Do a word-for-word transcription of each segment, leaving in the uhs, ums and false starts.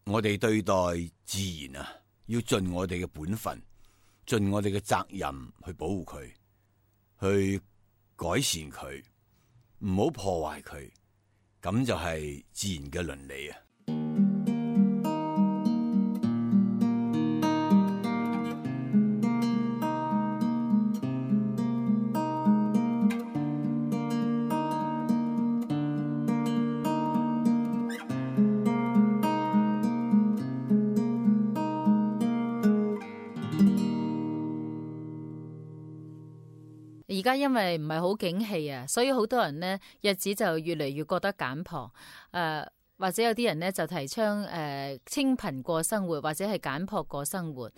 我哋對待自然啊，要盡我哋嘅本分，盡我哋嘅責任去保護佢，去改善佢，唔好破壞佢，咁就係自然嘅倫理啊。而家因為唔係好景氣啊，所以好多人呢日子就越嚟越覺得簡樸，誒、呃、或者有啲人呢就提倡誒、呃、清貧過生活，或者係簡樸過生活。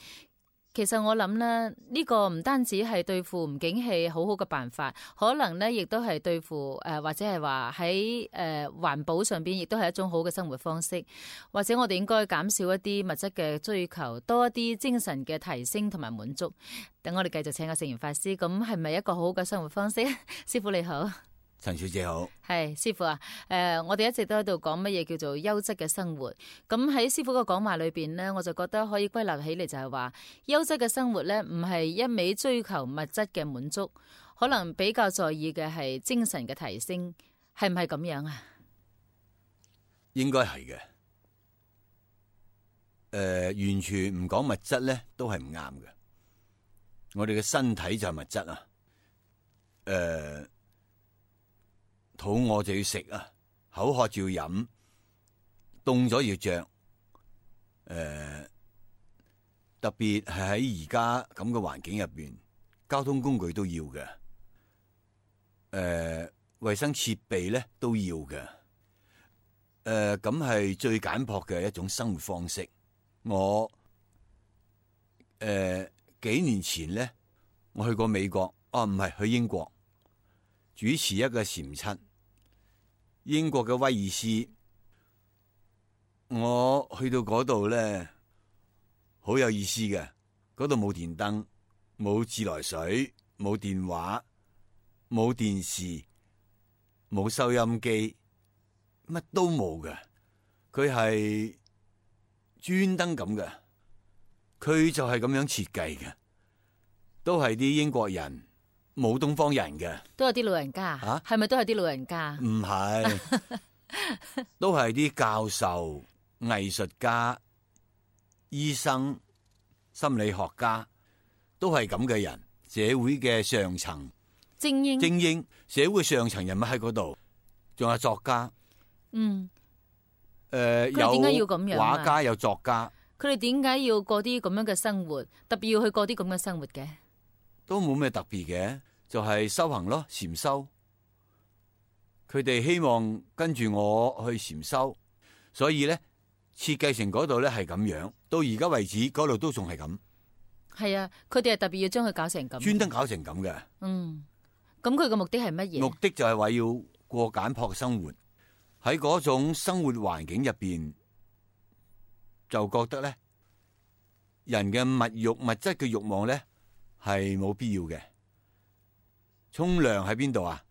其實我諗呢，呢、呢個唔單止係對付唔景氣好好嘅辦法，可能呢亦都係對付誒、呃、或者係話喺誒環保上邊，亦都係一種好嘅生活方式。或者我哋應該減少一啲物質嘅追求，多一啲精神嘅提升同埋滿足。等我哋繼續請阿聖嚴法師，咁係咪一個好好嘅生活方式？師父你好。陳小姐好。係師父啊，誒、呃，我哋一直都喺度講乜嘢叫做優質嘅生活。咁喺師父個講話裏邊呢，我就覺得可以歸納起嚟就係話，優質嘅生活呢，唔係一味追求物質嘅滿足，可能比較在意嘅係精神嘅提升，係唔係咁樣啊？應該係嘅。誒、呃，完全唔講物質呢，都係唔啱嘅。我哋嘅身體就係物質啊。誒、呃。肚餓就要食啊，口渴就要飲，凍咗要着。誒、呃，特別係喺而家咁嘅環境入邊，交通工具都要嘅。誒、呃，衛生設備咧都要嘅。誒、呃，咁係最簡樸嘅一種生活方式。我誒、呃、幾年前咧，我去過美國，哦唔係去英國，主持一個禪七。英國嘅威爾斯，我去到嗰度咧，好有意思嘅。嗰度冇電燈，冇自來水，冇電話，冇電視，冇收音機，乜都冇嘅。佢係專登咁嘅，佢就係咁樣設計嘅，都係啲英國人。冇東方人嘅，都有啲老人家，係、啊、咪都係啲老人家？唔係，都係啲教授、藝術家、醫生、心理學家，都係咁嘅人。社會嘅上層精英，精英，社會上層人物喺嗰度，仲有作家。嗯，誒、呃，佢哋點解要咁樣？畫家有作家，佢哋點解要過啲咁樣嘅生活？特別要去過啲咁嘅生活嘅？都冇咩特別嘅，就係、是、修行咯，禪修。佢哋希望跟住我去禪修，所以咧設計成嗰度咧係咁樣。到而家為止，嗰度都仲係咁。係啊，佢哋係特別要將佢搞成咁，專登搞成咁嘅。嗯，咁佢嘅目的係乜嘢？目的就係話要過簡樸嘅生活，喺嗰種生活環境入邊，就覺得咧人嘅物欲、物質嘅欲望咧。係冇必要嘅。沖涼喺邊度啊？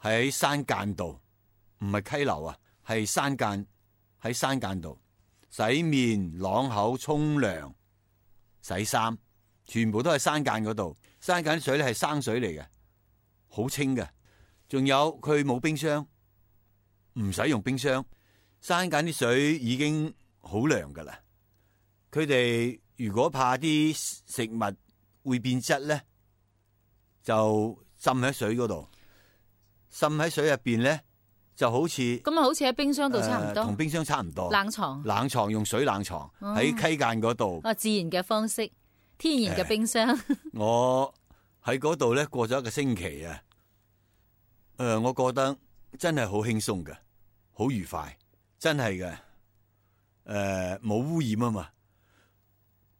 喺山澗度，唔係溪流啊，係山澗，喺山澗度洗面、啷口、沖涼、洗衫，全部都係山澗嗰度。山澗水咧係生水嚟嘅，好清嘅。仲有佢冇冰箱，唔使用，用冰箱。山澗啲水已經好涼噶啦。佢哋如果怕啲食物會變質咧，就浸喺水嗰度，浸喺水入邊咧，就好似咁啊，好似喺冰箱度差唔多，同、呃、冰箱差唔多。冷藏，冷藏用水冷藏喺、哦、溪澗嗰度。啊，自然嘅方式，天然嘅冰箱。呃、我喺嗰度咧過咗一個星期啊，誒、呃，我覺得真係好輕鬆嘅，好愉快，真係嘅。誒、呃，冇污染啊嘛，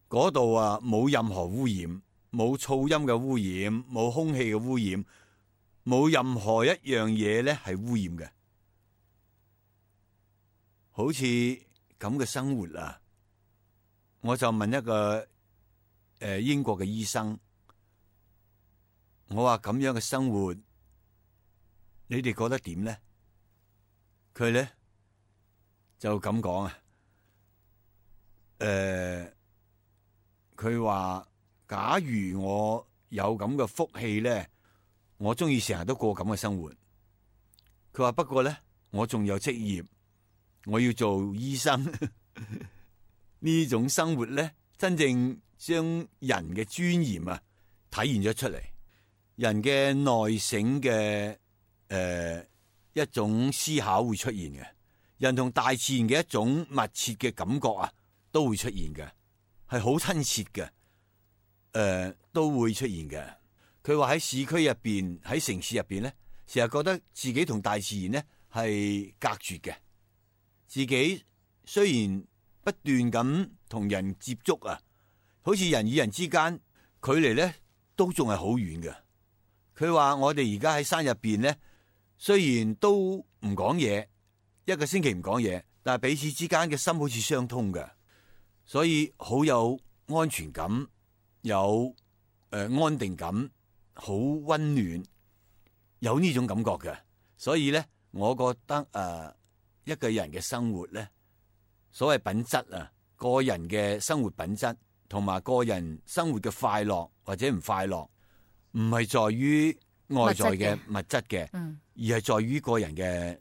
嗰度啊冇任何污染。冇噪音嘅污染，冇空氣嘅污染，冇任何一樣嘢咧係污染嘅。好似咁嘅生活啊，我就問一個誒、呃、英國嘅醫生，我話咁樣嘅生活，你哋覺得點咧？佢咧就咁講啊，誒，佢話假如我有咁嘅福氣咧，我中意成日都過咁嘅生活。佢話不過咧，我仲有職業，我要做醫生。呢種生活咧，真正將人嘅尊嚴啊體現咗出嚟，人嘅內省嘅誒、呃、一種思考會出現嘅，人同大自然嘅一種密切嘅感覺啊都會出現嘅，係好親切嘅，誒、呃、都會出現嘅。佢話喺市區入邊，喺城市入邊咧，成日覺得自己同大自然咧係隔絕嘅，自己雖然不斷咁同人接觸啊，好似人與人之間距離咧都仲係好遠嘅。佢話我哋而家喺山入邊咧，雖然都唔講嘢，一個星期唔講嘢，但係彼此之間嘅心好似相通嘅，所以好有安全感，有誒、呃、安定感，好溫暖，有呢種感覺嘅。所以咧，我覺得誒、呃、一個人嘅生活咧，所謂品質啊，個人嘅生活品質同埋個人生活嘅快樂或者唔快樂，唔係在於外在嘅物質嘅，嗯，而係在於個人嘅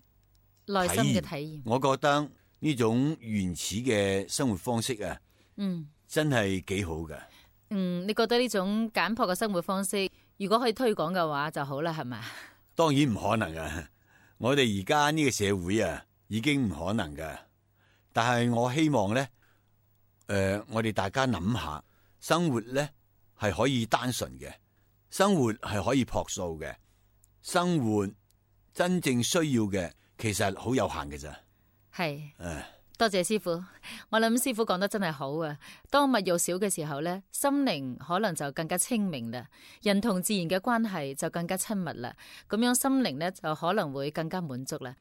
內心嘅體驗。我覺得呢種原始嘅生活方式啊，嗯，真係幾好嘅。嗯，你覺得呢種簡樸嘅生活方式，如果可以推廣嘅話就好啦，係咪？當然唔可能啊！我哋而家呢個社會啊，已經唔可能噶。但係我希望咧，誒、呃，我哋大家諗下，生活咧係可以單純嘅，生活係可以樸素嘅，生活真正需要嘅其實好有限嘅咋。係，誒，多謝師傅。我諗師傅講得真係好啊。當物欲少嘅時候咧，心靈可能就更加清明啦，人同自然嘅關係就更加親密啦。咁樣心靈咧就可能會更加滿足啦。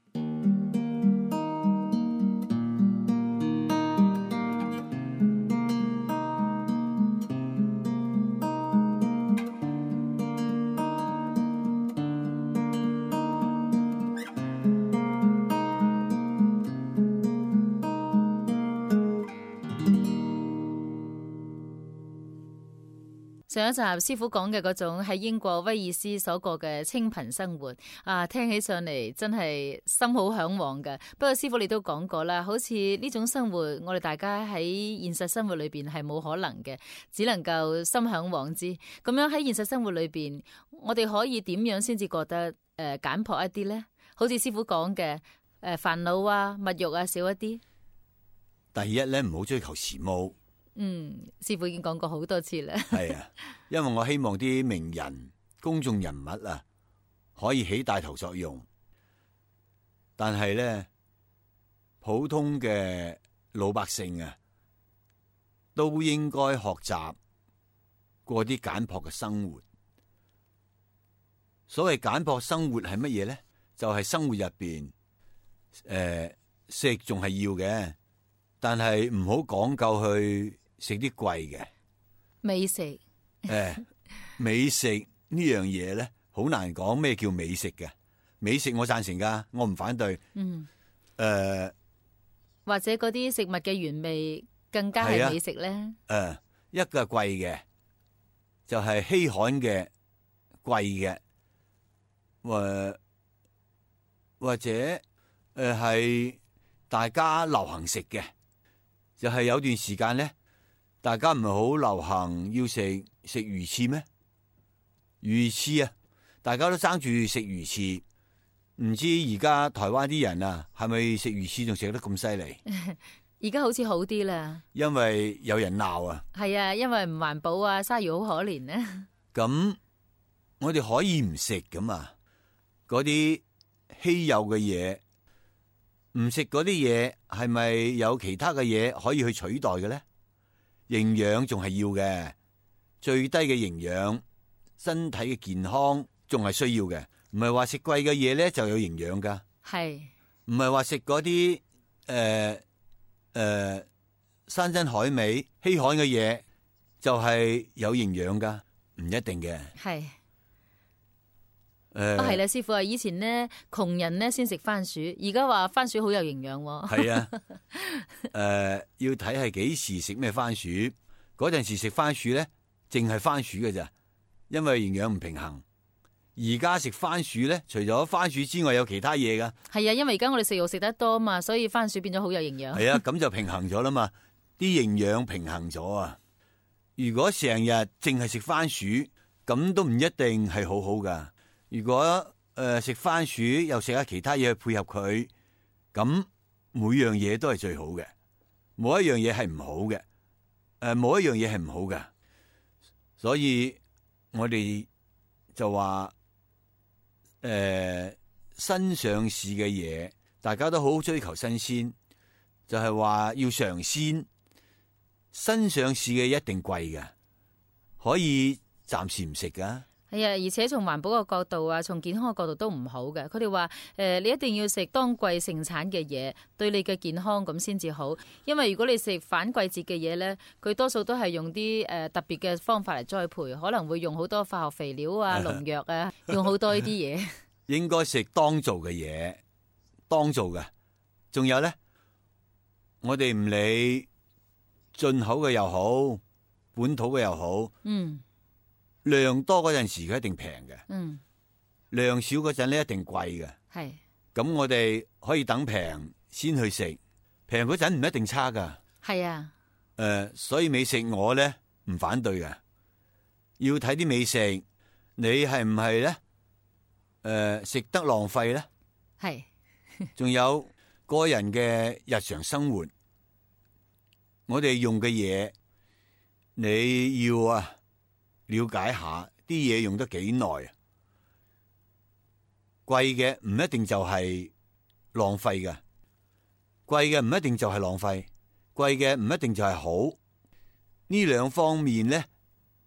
上一集師傅講嘅嗰種喺英國威爾斯所過嘅清貧生活啊，聽起上嚟真係心好向往嘅。不過師傅你都講過啦，好似呢種生活，我哋大家喺現實生活裏邊係冇可能嘅，只能夠心向往之。咁樣喺現實生活裏邊，我哋可以點樣先至覺得誒、呃、簡樸一啲呢？好似師傅講嘅誒煩惱啊、物欲啊少一啲。第一咧，唔好追求時髦。嗯，師傅已經講過好多次啦。係啊，因為我希望啲名人、公眾人物啊，可以起帶頭作用。但係咧，普通嘅老百姓啊，都應該學習過啲簡樸嘅生活。所謂簡樸生活係乜嘢咧？就係、是、生活入邊，誒、呃，食仲係要嘅，但係唔好講究去食啲貴嘅美食。誒、欸，美食呢樣嘢咧，好難講咩叫美食嘅。美食我贊成噶，我唔反對。嗯。誒、呃，或者嗰啲食物嘅原味更加係美食咧。誒、呃，一個係貴嘅，就係、是、稀罕嘅貴嘅，或或者誒係、呃、大家流行食嘅，就係、是、有段時間咧。大家唔係好流行要食食魚翅咩？魚翅啊，大家都爭住食魚翅。唔知而家台灣啲人啊，係咪食魚翅仲食得咁犀利？而家好似好啲啦。因為有人鬧啊。係啊，因為唔環保啊，鯊魚好可憐啊。咁我哋可以唔食噶嘛？嗰啲稀有嘅嘢，唔食嗰啲嘢，係咪有其他嘅嘢可以去取代嘅咧？營養仲係要嘅，最低嘅營養，身體嘅健康仲係需要嘅，唔係話食貴嘅嘢咧就有營養噶，係唔係話食嗰啲誒誒山珍海味稀罕嘅嘢就係有營養噶？唔一定嘅，係誒啊係啦，師傅啊，以前咧窮人咧先食番薯，而家話番薯好有營養喎。係啊，誒、呃、要睇係幾時食咩番薯。嗰陣時食番薯咧，淨係番薯嘅咋，因為營養唔平衡。而家食番薯咧，除咗番薯之外，有其他嘢噶。係啊，因為而家我哋食肉食得多嘛，所以番薯變咗好有營養。係啊，咁就平衡咗啦嘛，啲營養平衡咗啊。如果成日淨係食番薯，咁都唔一定係好好噶。如果誒食、呃、番薯又食下其他嘢去配合佢，咁每樣嘢都係最好嘅，冇一樣嘢係唔好嘅。誒、呃，冇一樣嘢係唔好嘅。所以我哋就話。誒、呃，新上市嘅嘢，大家都好追求新鮮，就係、是、話要嘗鮮。新上市嘅一定貴嘅，可以暫時唔食噶。係啊，而且從環保嘅角度啊，從健康嘅角度都唔好嘅。佢哋話誒，你一定要食當季盛產嘅嘢，對你嘅健康咁先至好。因為如果你食反季節嘅嘢咧，佢多數都係用啲誒、呃、特別嘅方法嚟栽培，可能會用好多化學肥料啊、農藥啊，用好多呢啲嘢。應該食當造嘅嘢，當造嘅。仲有咧，我哋唔理進口嘅又好，本土嘅又好，嗯。量多嗰陣時佢一定平嘅，嗯，量少嗰陣咧一定貴嘅，係。咁我哋可以等平先去食，平嗰陣唔一定差噶，係啊。誒、呃，所以美食我咧唔反對嘅，要睇啲美食，你係唔係咧？誒、呃，食得浪費咧？係。仲有個人嘅日常生活，我哋用嘅嘢，你要啊。了解下啲嘢用得幾耐啊？貴嘅唔一定就係浪費嘅，貴嘅唔一定就係浪費，貴嘅唔一定就係好。呢兩方面咧，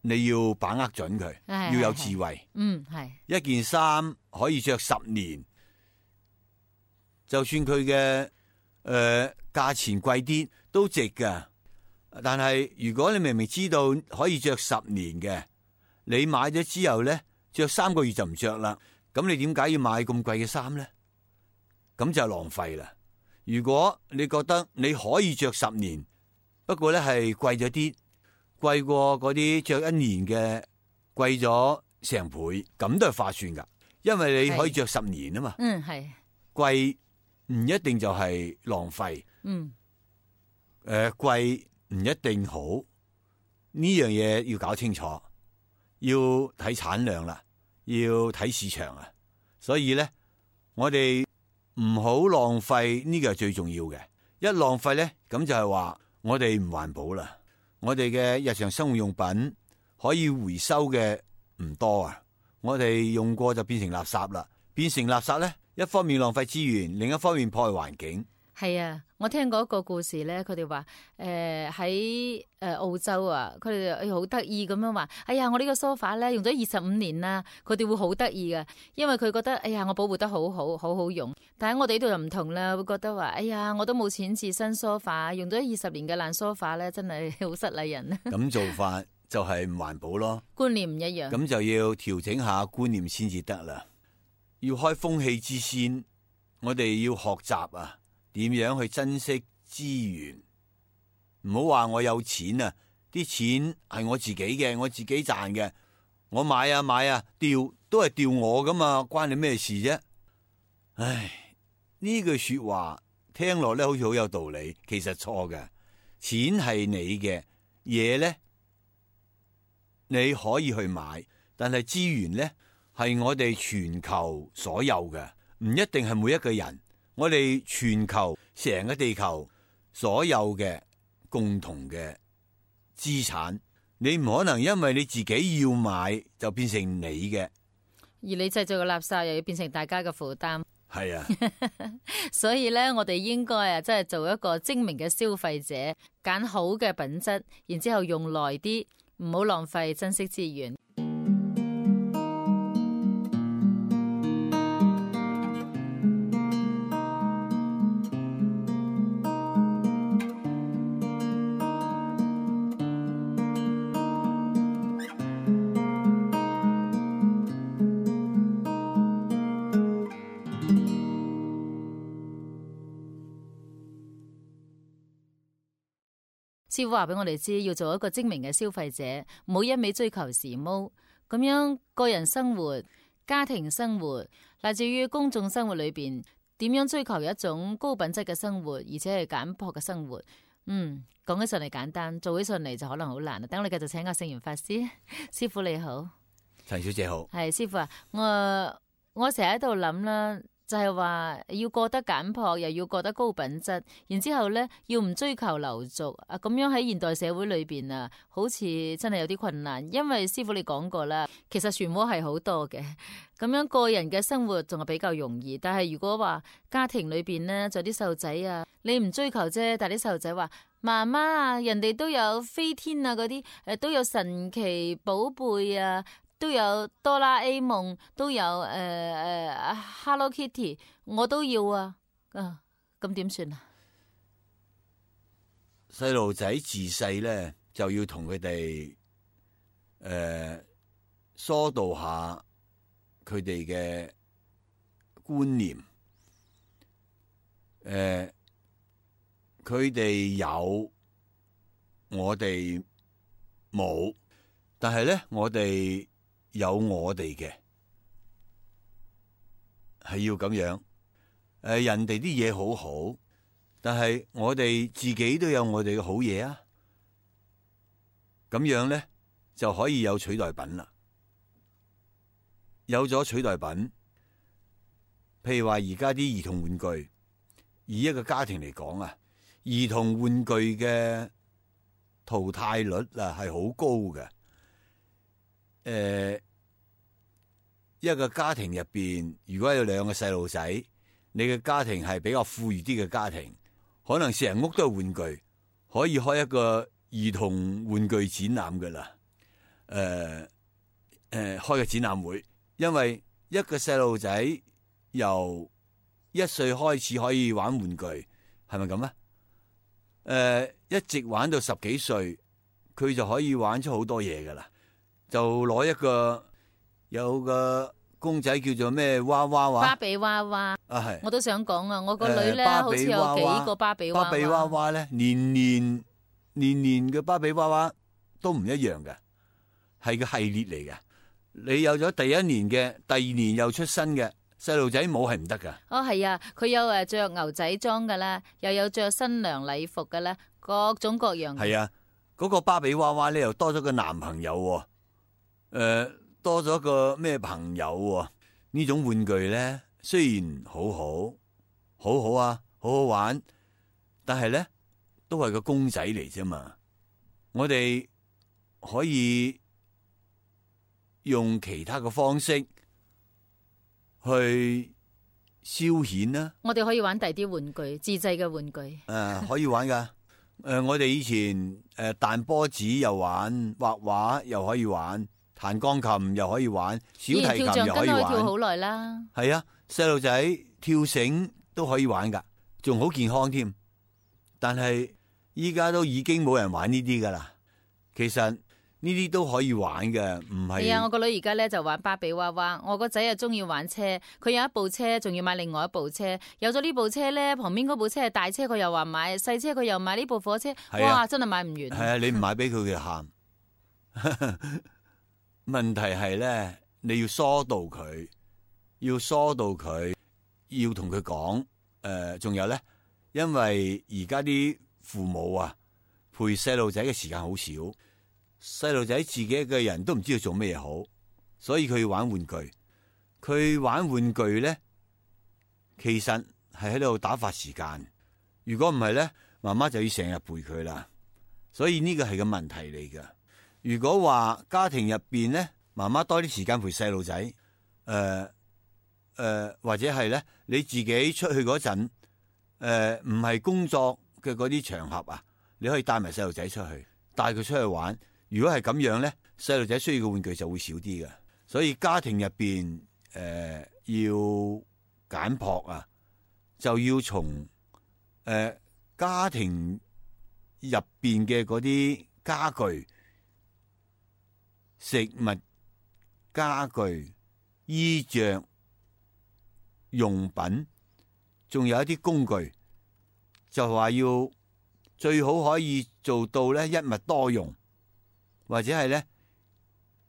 你要把握準佢，要有智慧。嗯，係一件衫可以着十年，就算佢嘅誒價錢貴啲都值噶。但係如果你明明知道可以着十年嘅，你買咗之後咧，着三個月就唔着啦，咁你點解要買咁貴嘅衫咧？咁就浪費啦。如果你覺得你可以着十年，不過咧係貴咗啲，貴過嗰啲着一年嘅貴咗成倍，咁都係划算噶，因為你可以着十年啊嘛。嗯，係貴唔一定就係浪費。嗯，誒、呃、貴。唔一定好，呢樣嘢要搞清楚，要睇產量啦，要睇市場啊。所以咧，我哋唔好浪費，呢個係最重要嘅。一浪費咧，咁就係話我哋唔環保啦。我哋嘅日常生活用品可以回收嘅唔多啊，我哋用過就變成垃圾啦。變成垃圾咧，一方面浪費資源，另一方面破壞環境。係啊，我聽過一個故事咧，佢哋話誒喺誒澳洲啊，佢哋好得意咁樣話，哎呀，我呢個梳化咧用咗二十五年啦，佢哋會好得意㗎，因為佢覺得哎呀我保護得好好，好好用。但係我哋呢度就唔同啦，會覺得話哎呀我都冇錢置新梳化，用咗二十年嘅爛梳化咧，真係好失禮人。咁做法就係唔環保咯，觀念唔一樣。咁就要調整下觀念先至得啦。要開風氣之先，我哋要學習啊。點樣去珍惜資源？唔好話我有錢啊！啲錢係我自己嘅，我自己賺嘅，我買啊買啊，掉都係掉我噶嘛，關你咩事啫？唉，呢句說話聽落咧好似好有道理，其實錯嘅。錢係你嘅嘢咧，你可以去買，但係資源咧係我哋全球所有嘅，唔一定係每一個人。我哋全球成個地球所有嘅共同嘅資產，你唔可能因為你自己要買就變成你嘅，而你製造嘅垃圾又要變成大家嘅負擔。係啊，所以咧，我哋應該啊，真係做一個精明嘅消費者，揀好嘅品質，然之後用耐啲，唔好浪費，珍惜資源。師傅話俾我哋知，要做一個精明嘅消費者，唔好一味追求時髦，咁樣個人生活、家庭生活，乃至於公眾生活裏邊，點樣追求一種高品質嘅生活，而且係簡樸嘅生活。嗯，講起上嚟簡單，做起上嚟就可能好難啦。等我哋繼續請個聖嚴法師。師傅你好。陳小姐好。係師傅啊，我我成日喺度諗啦。就係話要過得簡樸，又要過得高品質，然之後咧要唔追求流俗啊，咁樣喺現代社會裏邊啊，好似真係有啲困難。因為師傅你講過啦，其實漩渦係好多嘅，咁樣個人嘅生活仲係比較容易。但係如果話家庭裏邊呢，仲有啲細路仔啊，你唔追求啫，但係啲細路仔話媽媽啊，人哋都有飛天啊嗰啲，誒都有神奇寶貝啊。都有哆啦 A 夢，都有誒誒、呃、Hello Kitty， 我都要啊！啊，咁點算啊？細路仔自細咧就要同佢哋誒疏導下佢哋嘅觀念。誒，佢哋有，我哋冇，但係咧我哋。有我哋嘅係要咁樣，誒，人哋啲嘢好好，但係我哋自己都有我哋嘅好嘢啊，咁樣咧就可以有取代品啦。有咗取代品，譬如話而家啲兒童玩具，以一個家庭嚟講啊，兒童玩具嘅淘汰率啊係好高嘅。誒、呃，一個家庭入邊，如果有兩個細路仔，你嘅家庭係比較富裕啲嘅家庭，可能成屋都係玩具，可以開一個兒童玩具展覽噶啦。誒、呃、誒、呃，開個展覽會，因為一個細路仔由一歲開始可以玩玩具，係咪咁啊？誒、呃，一直玩到十幾歲，佢就可以玩出好多嘢噶啦。就攞一個有個公仔叫做咩娃娃娃，芭比娃娃啊，係我都想講啊！我個女咧、呃、好似有幾個芭比娃娃，芭比娃娃咧年年年年嘅芭比娃娃都唔一樣嘅，係個系列嚟嘅。你有咗第一年嘅，第二年又出新嘅，細路仔冇係唔得噶。哦，係啊，佢有誒着牛仔裝噶啦，又有着新娘禮服噶啦，各種各樣。係啊，嗰、那個芭比娃娃咧又多咗個男朋友。誒、呃，多咗個咩朋友喎？呢種玩具咧，雖然好好，好好啊，好好玩，但係咧都係個公仔嚟啫嘛。我哋可以用其他嘅方式去消遣啦。我哋可以玩第啲玩具，自製嘅玩具。誒、呃，可以玩噶。誒、呃，我哋以前誒彈波子又玩，畫畫又可以玩。彈鋼琴又可以玩，小提琴又可以玩。跳橡筋可以跳好耐啦。係啊，細路仔跳繩都可以玩噶，仲好健康添。但係依家都已經冇人玩呢啲噶啦。其實呢啲都可以玩嘅，唔係。係啊，我個女而家咧就玩芭比娃娃，我個仔又中意玩車，佢有一部車，仲要買另外一部車。有咗呢部車咧，旁邊嗰部車係大車，佢又話買細車，佢又買呢部火車。啊、哇，真係買唔完。係啊，你唔買俾佢，佢就喊。問題係咧，你要疏導佢，要疏導佢，要同佢講。誒、呃，仲有咧，因為而家啲父母啊，陪細路仔嘅時間好少，細路仔自己一個人都唔知道做咩好，所以佢要玩玩具。佢玩玩具咧，其實係喺度打發時間。如果唔係咧，媽媽就要成日陪佢啦。所以呢個係個問題嚟噶。如果話家庭入邊咧，媽媽多啲時間陪細路仔，誒、呃、誒、呃，或者係咧你自己出去嗰陣，誒唔係工作嘅嗰啲場合啊，你可以帶埋細路仔出去，帶佢出去玩。如果係咁樣咧，細路仔需要嘅玩具就會少啲嘅。所以家庭入邊誒要簡樸啊，就要從誒、呃、家庭入邊嘅嗰啲家具、食物、家具、衣着、用品，仲有一啲工具，就話要最好可以做到咧一物多用，或者係咧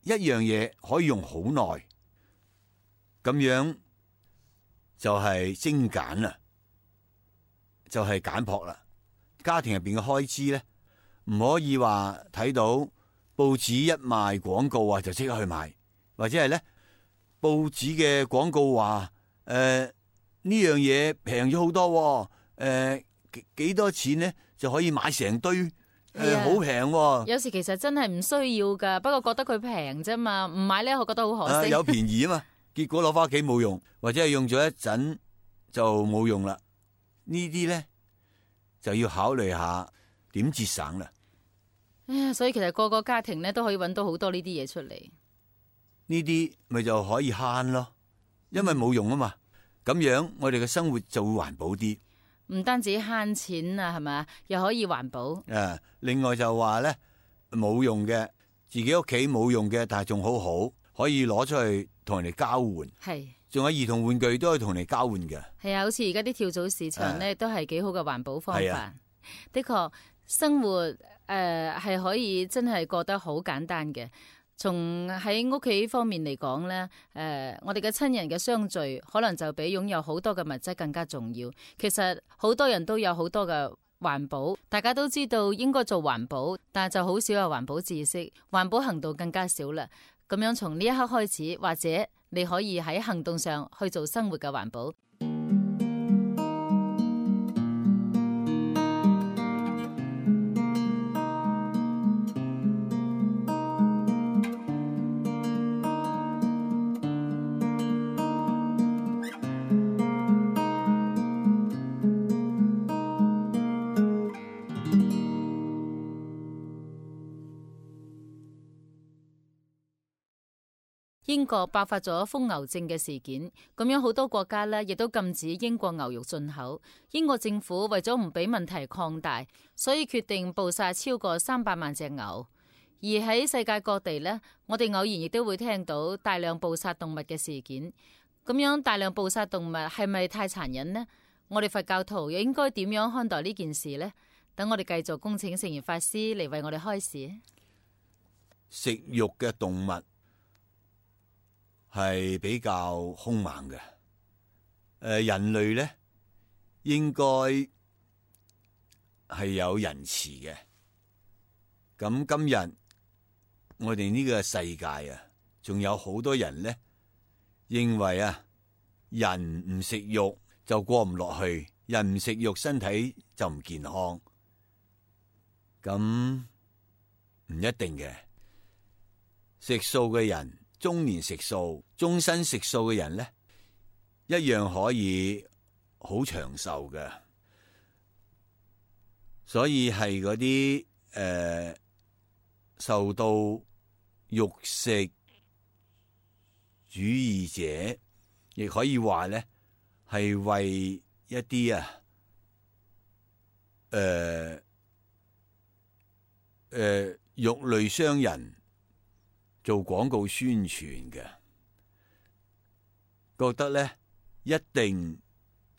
一樣嘢可以用好耐，咁樣就係精簡啦，就係簡樸啦。家庭入邊嘅開支咧，唔可以話睇到報紙一賣廣告啊就即刻去買，或者係咧報紙嘅廣告話誒呢樣嘢平咗好多，誒、呃、幾幾多錢咧就可以買成堆，誒好平。有時其實真係唔需要噶，不過覺得佢平啫嘛，唔買咧我覺得好可惜。啊、有便宜啊嘛，結果攞翻屋企冇用，或者係用咗一陣就冇用啦。呢啲咧就要考慮下點節省啦。唉，所以其實個個家庭咧都可以揾到好多呢啲嘢出嚟。呢啲咪就可以慳咯，因為冇用啊嘛。咁樣我哋嘅生活就會環保啲。唔單止慳錢啊，係咪？又可以環保。誒，另外就話咧冇用嘅，自己屋企冇用嘅，但係仲好好，可以攞出去同人哋交換。係。仲有兒童玩具都可以同人哋交換嘅。係啊，好似而家啲跳蚤市場咧，都係幾好嘅環保方法。啊、的確，生活誒係、呃、可以真係過得好簡單嘅。從喺屋企方面嚟講咧，誒、呃，我哋嘅親人嘅相聚，可能就比擁有好多嘅物質更加重要。其實好多人都有好多嘅環保，大家都知道應該做環保，但係就好少有環保知識，環保行動更加少啦。咁樣從呢一刻開始，或者你可以喺行動上去做生活嘅環保。英國爆發咗瘋牛症嘅事件，咁樣好多國家呢亦都禁止英國牛肉進口。英國政府為咗唔俾問題擴大，所以決定捕殺超過三百萬隻牛。而喺世界各地呢，我哋偶然亦都會聽到大量捕殺動物嘅事件。咁樣大量捕殺動物係咪太殘忍呢？我哋佛教徒又應該點樣看待呢件事呢？等我哋繼續恭請聖嚴法師嚟為我哋開示。食肉嘅動物係比較兇猛嘅，誒、呃，人類咧應該係有仁慈嘅。咁今日我哋呢個世界啊，仲有好多人咧認為啊，人唔食肉就過唔落去，人唔食肉身體就唔健康。咁唔一定嘅，食素嘅人。中年食素、終身食素嘅人咧，一樣可以好長壽嘅。所以係嗰啲誒受到肉食主義者，亦可以話咧係為一啲啊誒誒肉類商人做廣告宣傳嘅，覺得咧一定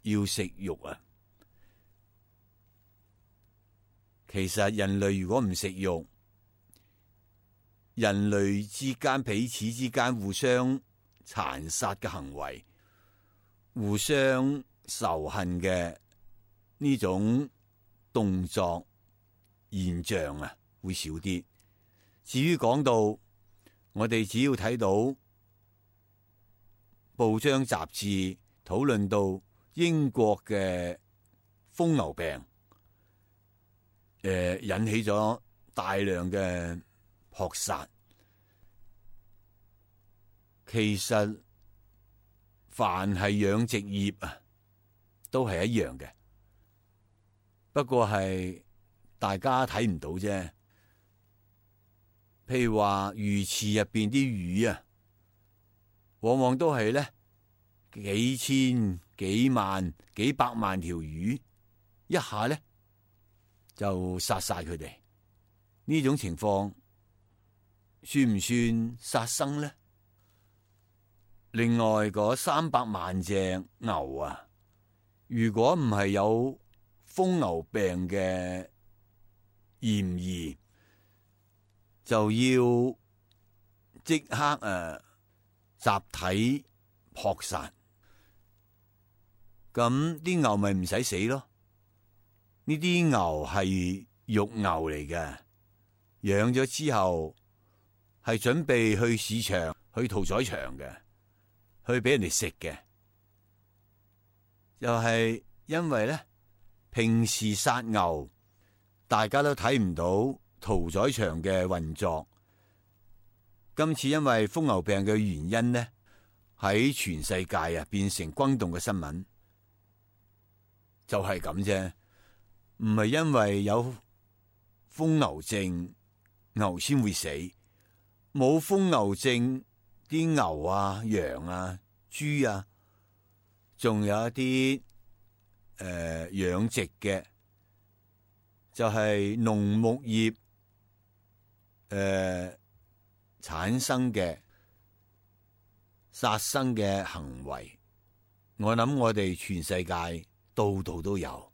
要食肉啊！其實人類如果唔食肉，人類之間彼此之間互相殘殺嘅行為，互相仇恨嘅呢種動作現象啊，會少啲。至於講到我哋只要睇到報章雜誌討論到英國嘅瘋牛病，誒、呃、引起咗大量嘅撲殺。其實凡係養殖業啊，都係一樣嘅，不過係大家睇唔到啫。譬如話魚池入邊啲魚啊，往往都係咧幾千、幾萬、幾百萬條魚，一下咧就殺晒佢哋。呢種情況算唔算殺生咧？另外嗰三百萬隻牛啊，如果唔係有瘋牛病嘅嫌疑，就要即刻誒、啊、集體撲殺。咁啲牛咪唔使死咯？呢啲牛係肉牛嚟嘅，養咗之後係準備去市場、去屠宰場嘅，去俾人哋食嘅。又係因為咧，平時殺牛，大家都睇唔到屠宰場嘅運作。今次因為瘋牛病嘅原因呢，喺全世界啊變成轟動嘅新聞，就係咁啫。唔係因為有瘋牛症，牛先會死。冇瘋牛症，啲牛啊、羊啊、豬啊，仲有一啲誒養殖嘅，就係、是、農牧業誒、呃、產生嘅殺生嘅行為。我諗我哋全世界度度都有。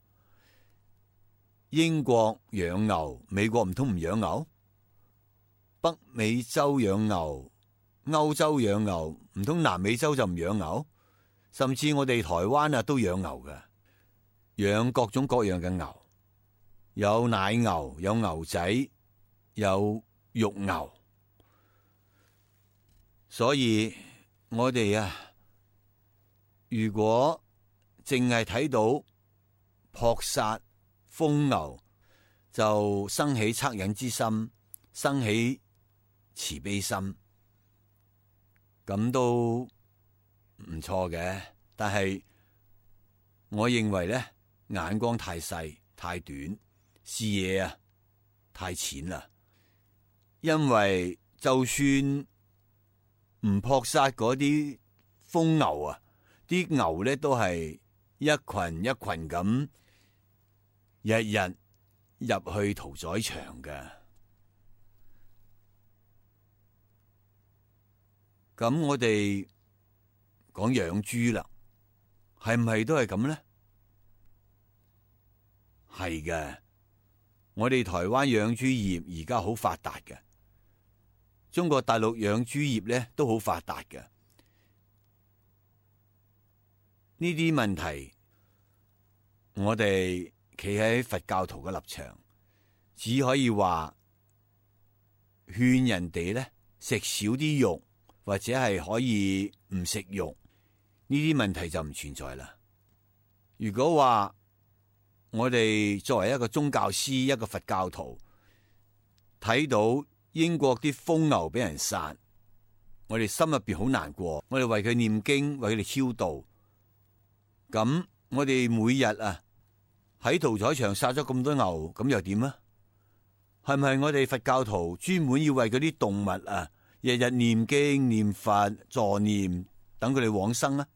英國養牛，美國唔通唔養牛？北美洲養牛，歐洲養牛，唔通南美洲就唔養牛？甚至我哋台灣啊都養牛嘅，養各種各樣嘅牛，有奶牛，有牛仔，有肉牛。所以我哋啊，如果淨係睇到撲殺瘋牛，就生起惻隱之心，生起慈悲心，咁都唔錯嘅。但係我認為咧，眼光太細太短，視野啊太淺啦。因為就算唔撲殺嗰啲瘋牛啊，啲牛咧都係一群一群咁，日日入去屠宰場嘅。咁我哋講養豬啦，係唔係都係咁咧？係嘅，我哋台灣養豬業而家好發達嘅，中國大陸養豬業咧都好發達嘅。呢啲問題，我哋企喺佛教徒嘅立場，只可以話勸人哋咧食少啲肉，或者係可以唔食肉，呢啲問題就唔存在啦。如果話我哋作為一個宗教師，一個佛教徒，睇到英國啲瘋牛俾人殺，我哋心入邊好難過，我哋為佢念經，為佢哋超度。咁我哋每日啊喺屠宰場殺咗咁多牛，咁又點啊？係咪我哋佛教徒專門要為嗰啲動物啊日日念經念佛助念，等佢哋往生啊？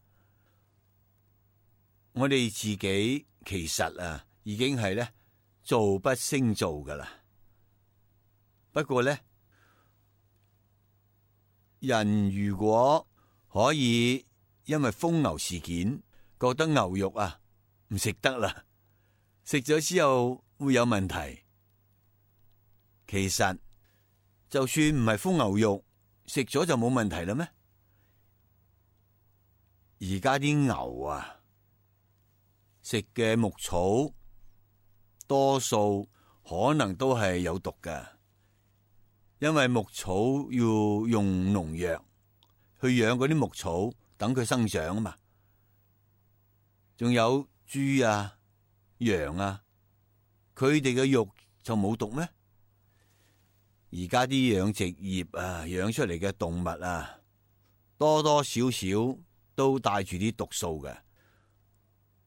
我哋自己其實啊已經係咧做不勝做噶啦。不過咧，人如果可以因為瘋牛事件覺得牛肉啊唔食得啦，食咗之後會有問題，其實就算唔係瘋牛肉，食咗就冇問題啦咩？而家啲牛啊食嘅牧草多數可能都係有毒㗎，因為牧草要用農藥去養嗰啲牧草，等佢生長啊嘛。仲有豬啊、羊啊，佢哋嘅肉就冇毒咩？而家啲養殖業啊，養出嚟嘅動物啊，多多少少都帶住啲毒素嘅，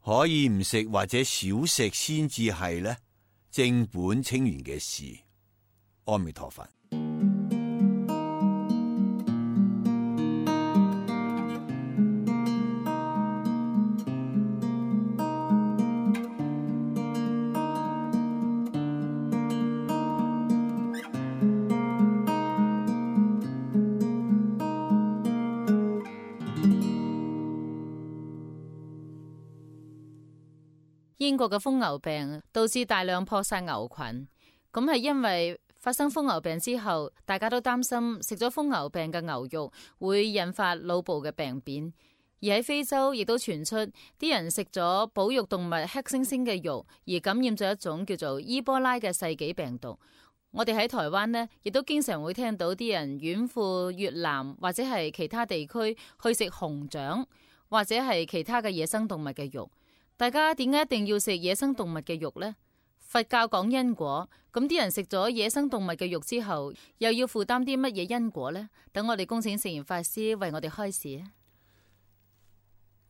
可以唔食或者少食先至係咧正本清源嘅事。阿彌陀佛。英國嘅瘋牛病導致大量撲殺牛群，咁係因為發生瘋牛病之後，大家都擔心食咗瘋牛病嘅牛肉會引發腦部嘅病變。而喺非洲亦都傳出啲人食咗保育動物黑猩猩嘅肉，而感染咗一種叫做伊波拉嘅世紀病毒。我哋喺台灣呢，亦都經常會聽到啲人遠赴越南或者係其他地區去食熊掌或者係其他嘅野生動物嘅肉。大家點解一定要食野生動物嘅肉呢？佛教講因果，咁啲人食咗野生動物嘅肉之後，又要負擔啲乜嘢因果呢？等我哋恭請聖嚴法師為我哋開示。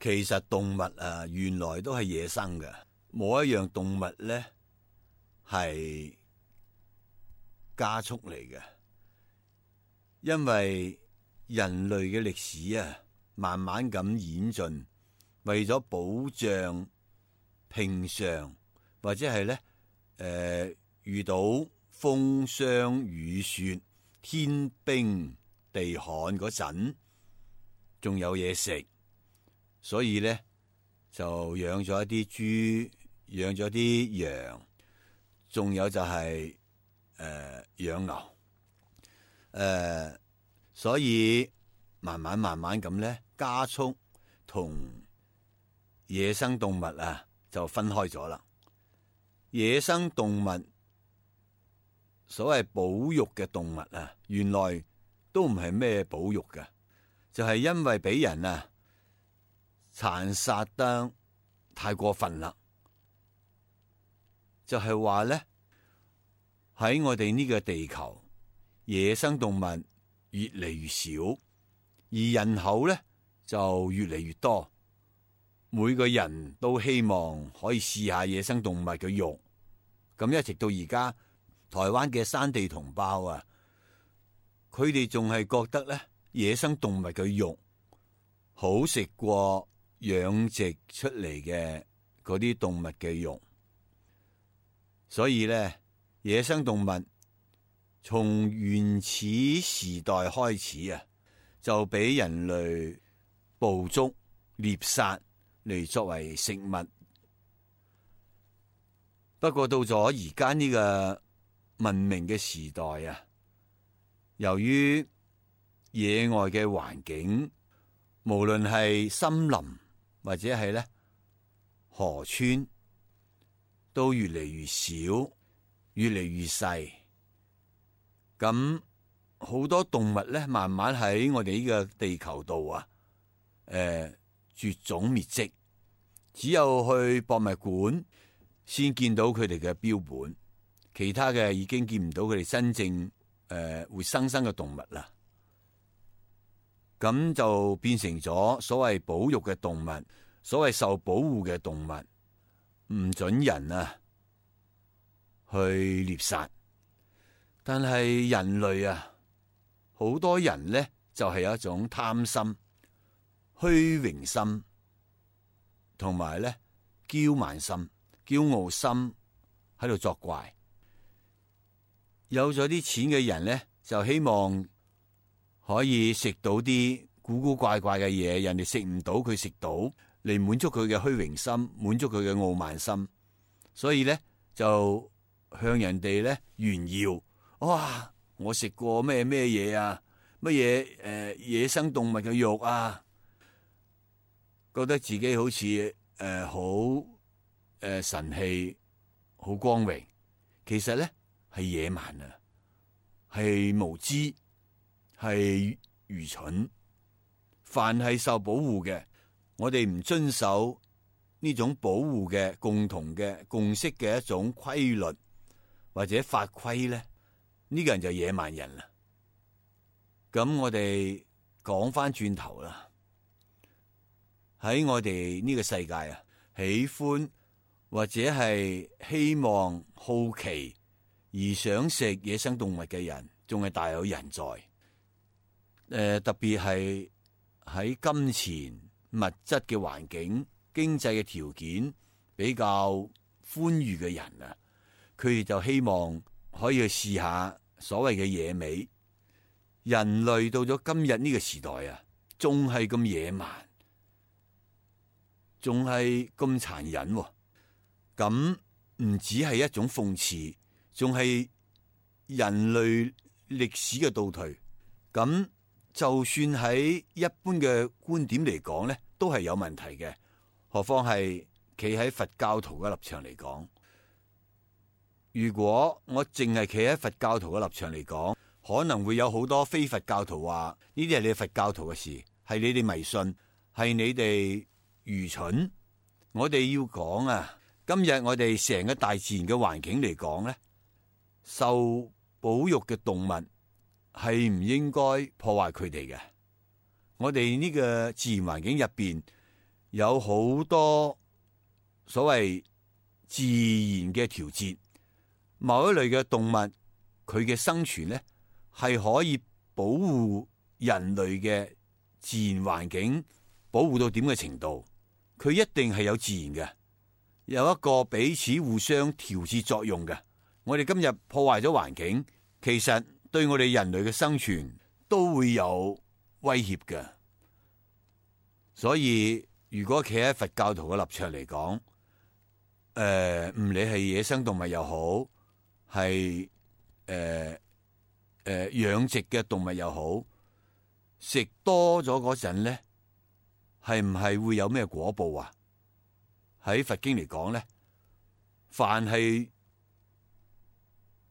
其實動物啊，原來都係野生嘅，冇一樣動物咧係加速嚟嘅，因為人類嘅歷史啊，慢慢咁演進，為咗保障平常或者係咧誒遇到風霜雨雪、天冰地旱嗰陣，仲有嘢食。所以咧就養咗一啲豬，養咗啲羊，仲有就係、是、誒、呃、養牛，誒、呃，所以慢慢慢慢咁咧加速同野生動物啊就分開咗啦。野生動物所謂保育嘅動物啊，原來都唔係咩保育嘅，就係、是、因為俾人啊殘殺得太過分啦，就係話咧喺我哋呢個地球，野生動物越嚟越少，而人口咧就越嚟越多。每個人都希望可以試下野生動物嘅肉，咁一直到而家，台灣嘅山地同胞啊，佢哋仲係覺得咧野生動物嘅肉好食過養殖出嚟嘅嗰啲動物嘅肉，所以咧野生動物從原始時代開始啊，就俾人類捕捉獵殺嚟作為食物。不過到咗而家呢個文明嘅時代啊，由於野外嘅環境，無論係森林或者係咧河川，都越嚟越少，越嚟越細。咁好多動物咧，慢慢喺我哋呢個地球度啊，誒、呃、絕種滅跡。只有去博物館先見到佢哋嘅標本，其他嘅已經見唔到佢哋真正誒、呃、活生生嘅動物啦。咁就變成咗所謂保育嘅動物，所謂受保護嘅動物，唔准人啊去獵殺。但係人類啊，好多人咧就係、是、有一種貪心、虛榮心，同埋咧驕慢心、驕傲心喺度作怪。有咗啲錢嘅人咧，就希望可以食到啲古古怪怪嘅嘢，人哋食唔到，佢食到，嚟滿足佢嘅虛榮心，滿足佢嘅傲慢心。所以咧就向人哋咧炫耀，哇！我食過咩咩嘢啊？乜嘢誒野生動物嘅肉啊？覺得自己好似誒好誒神氣，好光榮。其實咧係野蠻啊，係無知。係愚蠢。凡係受保護嘅，我哋唔遵守呢種保護嘅共同嘅共識嘅一種規律或者法規咧，呢、這個人就野蠻人啦。咁我哋講翻轉頭啦，喺我哋呢個世界啊，喜歡或者係希望好奇而想食野生動物嘅人，仲係大有人在。誒、呃，特別係喺金錢物質嘅環境、經濟嘅條件比較寬裕嘅人啊，佢哋就希望可以去試下所謂嘅野味。人類到咗今日呢個時代啊，仲係咁野蠻，仲係咁殘忍，咁唔止係一種諷刺，仲係人類歷史嘅倒退。咁就算喺一般嘅觀點嚟講呢，都係有問題嘅。何況係企喺佛教徒嘅立場嚟講，如果我淨係企喺佛教徒嘅立場嚟講，可能會有好多非佛教徒話呢啲係你佛教徒嘅事，係你哋迷信，係你哋愚蠢。我哋要講啊，今日我哋成個大自然嘅環境嚟講呢，受保育嘅動物係唔應該破壞佢哋嘅。我哋呢個自然環境入邊有好多所謂自然嘅調節，某一類嘅動物佢嘅生存呢係可以保護人類嘅自然環境，保護到點嘅程度，佢一定係有自然嘅，有一個彼此互相調節作用嘅。我哋今日破壞咗環境，其實對我哋人類嘅生存都會有威脅嘅。所以如果企喺佛教徒嘅立場嚟講，誒、呃、唔理係野生動物又好，係誒誒養殖嘅動物又好，食多咗嗰陣咧，係唔係會有咩果報啊？喺佛經嚟講咧，凡係誒、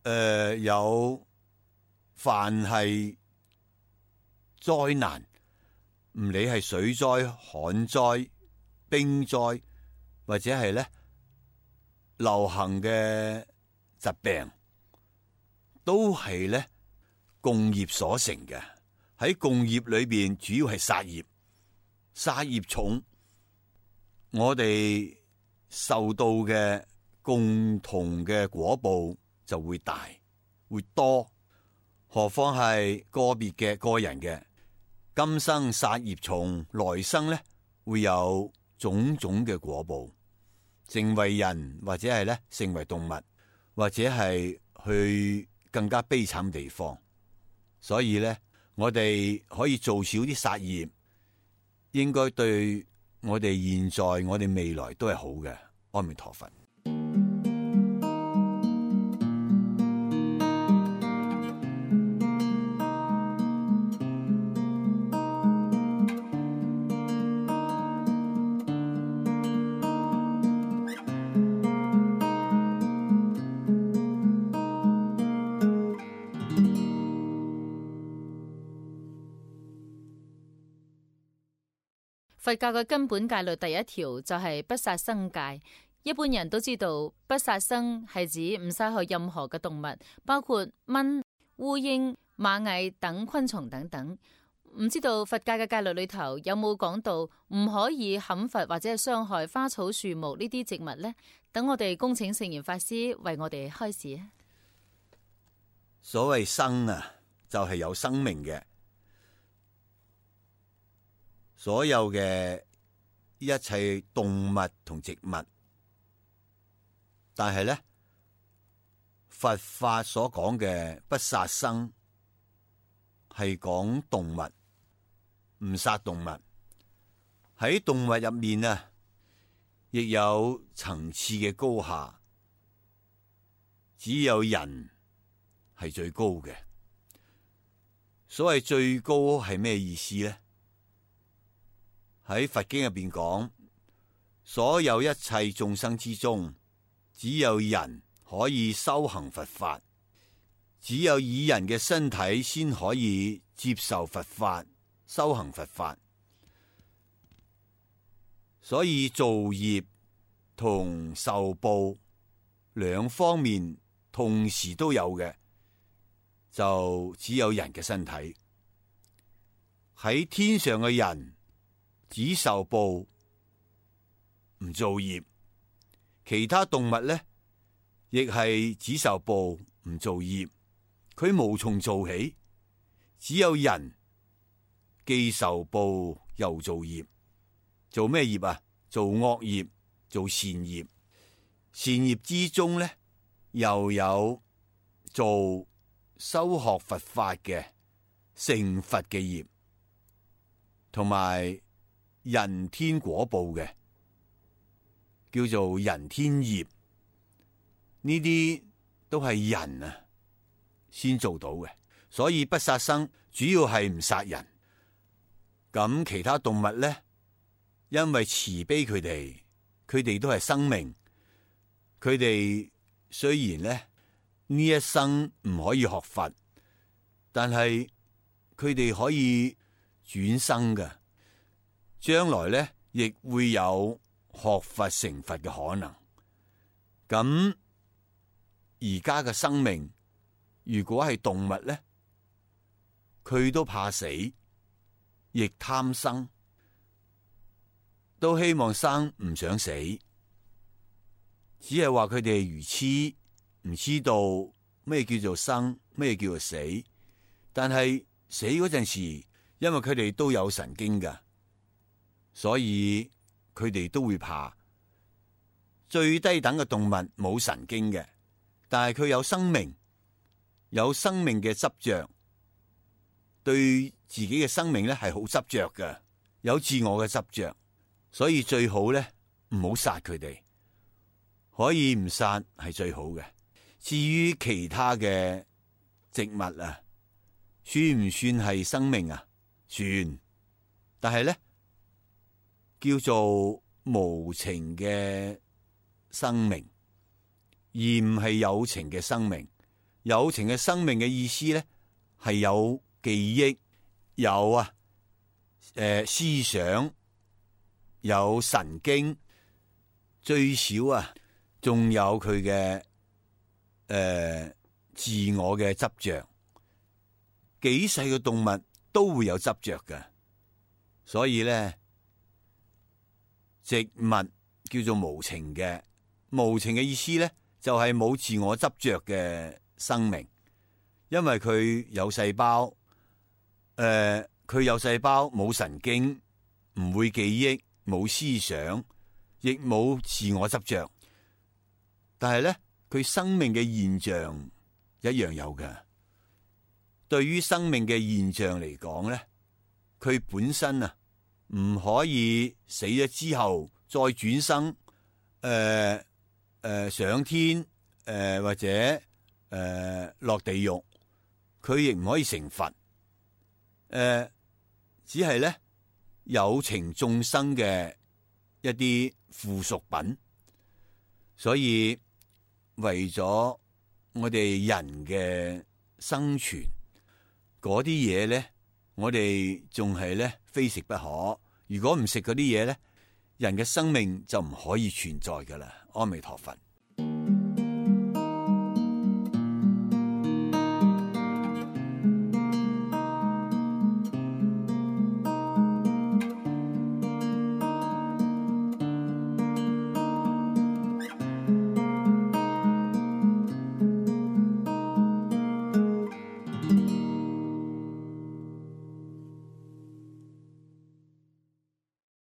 呃、有凡係災難，唔理係水災、旱災、冰災，或者係咧流行嘅疾病，都係咧共業所成嘅。喺共業裏邊，主要係殺業，殺業重，我哋受到嘅共同嘅果報就會大會多。何況係個別嘅個人嘅，今生殺業重，來生咧會有種種嘅果報，成為人或者係咧成為動物，或者係去更加悲慘地方。所以咧，我哋可以做少啲殺業，應該對我哋現在、我哋未來都係好嘅。阿彌陀佛。佛教嘅根本戒律第一條就係不殺生戒。一般人都知道，不殺生係指唔殺害任何嘅動物，包括蚊、烏蠅、螞蟻等昆蟲等等。唔知道佛教嘅戒律裏頭有冇講到唔可以砍伐或者係傷害花草樹木呢啲植物呢？等我哋恭請聖嚴法師為我哋開示啊！所謂生啊，就係有生命嘅。所有嘅一切動物同植物，但係咧，佛法所講嘅不殺生係講動物，唔殺動物。喺動物入面啊，亦有層次嘅高下，只有人係最高嘅。所謂最高係咩意思咧？喺佛經入邊講，所有一切眾生之中，只有人可以修行佛法，只有以人嘅身體先可以接受佛法、修行佛法。所以造業同受報兩方面同時都有嘅，就只有人嘅身體。喺天上嘅人只受報唔造業，其他動物咧亦係只受報唔造業，佢無從做起。只有人既受報又造業，做咩業啊？做惡業，做善業。善業之中咧，又有做修學佛法嘅成佛嘅業，同埋人天果報嘅，叫做人天業。呢啲都係人啊先做到嘅，所以不殺生主要係唔殺人。咁其他動物呢，因為慈悲佢哋，佢哋都係生命，佢哋雖然呢呢一生唔可以學佛，但係佢哋可以轉生嘅，將來呢亦會有學佛成佛嘅可能。咁而家嘅生命，如果係動物呢，佢都怕死，亦貪生，都希望生唔想死，只係話佢哋係愚痴，唔知道咩叫做生，咩叫做死。但係死嗰陣時，因為佢哋都有神經㗎，所以佢哋都會怕。最低等嘅動物冇神經嘅，但係佢有生命，有生命嘅執着，對自己嘅生命咧係好執着嘅，有自我嘅執着，所以最好咧唔好殺佢哋，可以唔殺係最好嘅。至於其他嘅植物啊，算唔算係生命啊？算，但係咧叫做無情嘅生命，而唔係有情嘅生命。有情嘅生命嘅意思咧係有記憶，有啊誒、呃、思想，有神經，最少啊仲有佢嘅誒自我嘅執着。幾細嘅動物都會有執着嘅，所以咧植物叫做無情嘅。無情嘅意思咧就係冇自我執着嘅生命，因為佢有細胞，誒、呃，佢有細胞冇神經，唔會記憶，冇思想，亦冇自我執着。但係咧，佢生命嘅現象一樣有嘅。對於生命嘅現象嚟講咧，佢本身啊唔可以死咗之後再轉生，誒、呃、誒、呃、上天，誒、呃、或者誒、呃、落地獄，佢亦唔可以成佛。誒、呃，只係咧有情眾生嘅一啲附屬品，所以為咗我哋人嘅生存，嗰啲嘢咧，我哋仲係咧非食不可。如果唔食嗰啲嘢咧，人嘅生命就唔可以存在噶啦。阿彌陀佛。